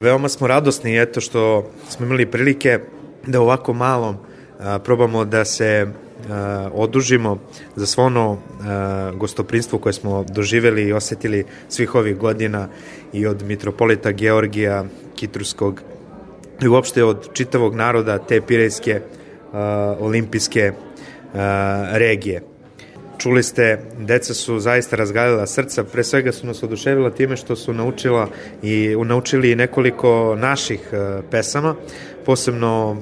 Veoma smo radosni eto što smo imali prilike da ovako malo probamo da se odužimo za svo ono gostoprinstvo koje smo doživeli i osetili svih ovih godina i od mitropolita Georgija Kitrskog i uopšte od čitavog naroda te pirejske olimpijske regije. Čuli ste, deca su zaista razgalila srca, pre svega su nas oduševila time što su naučili nekoliko naših pesama, posebno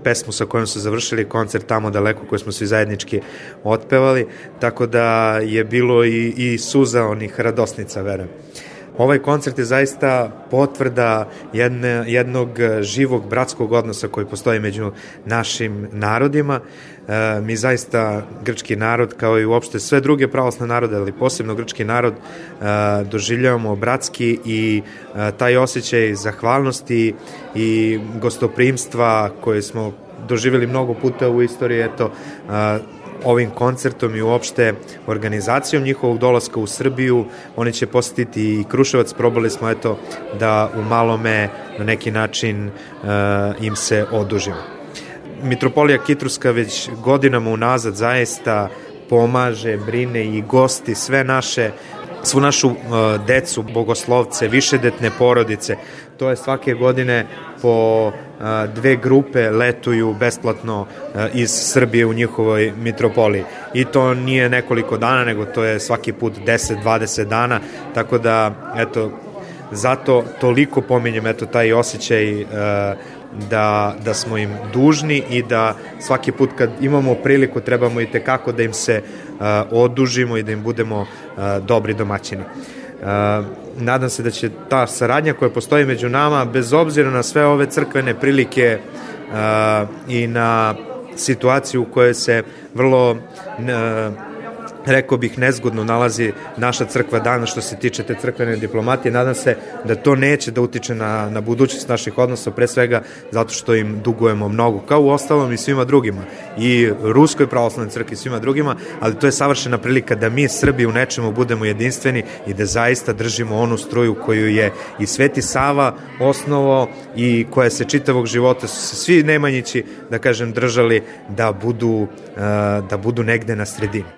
pesmu sa kojom su završili koncert Tamo daleko koju smo svi zajednički otpevali, tako da je bilo i suza onih radosnica, verujem. Ovaj koncert je zaista potvrda jednog živog bratskog odnosa koji postoji među našim narodima. Mi zaista, grčki narod, kao i uopšte sve druge pravoslavne narode, ali posebno grčki narod, doživljavamo bratski i taj osjećaj zahvalnosti i gostoprimstva koje smo doživjeli mnogo puta u istoriji, eto, ovim koncertom i uopšte organizacijom njihovog dolaska u Srbiju. Oni će posetiti i Kruševac, probali smo eto da u malome na neki način im se odužimo. Mitropolija Kitruska već godinama unazad zaista pomaže, brine i gosti svu našu decu, bogoslovce, višedetne porodice. To je svake godine po 2 grupe letuju besplatno iz Srbije u njihovoj mitropoliji. I to nije nekoliko dana, nego to je svaki put 10-20 dana, tako da, eto, zato toliko pominjem, eto, taj osjećaj da smo im dužni i da svaki put kad imamo priliku trebamo i tekako da im se odužimo i da im budemo dobri domaćini. Nadam se da će ta saradnja koja postoji među nama, bez obzira na sve ove crkvene prilike i na situaciju u kojoj se vrlo rekao bih nezgodno nalazi naša crkva danas što se tiče te crkvene diplomatije, nadam se da to neće da utiče na budućnost naših odnosa, pre svega zato što im dugujemo mnogo, kao u ostalom i svima drugima, i Ruskoj pravoslavnoj crkvi i svima drugima, ali to je savršena prilika da mi Srbi u nečemu budemo jedinstveni i da zaista držimo onu struju koju je i Sveti Sava osnovao i koja se čitavog života su se svi Nemanjići, da kažem, držali da budu negde na sredini.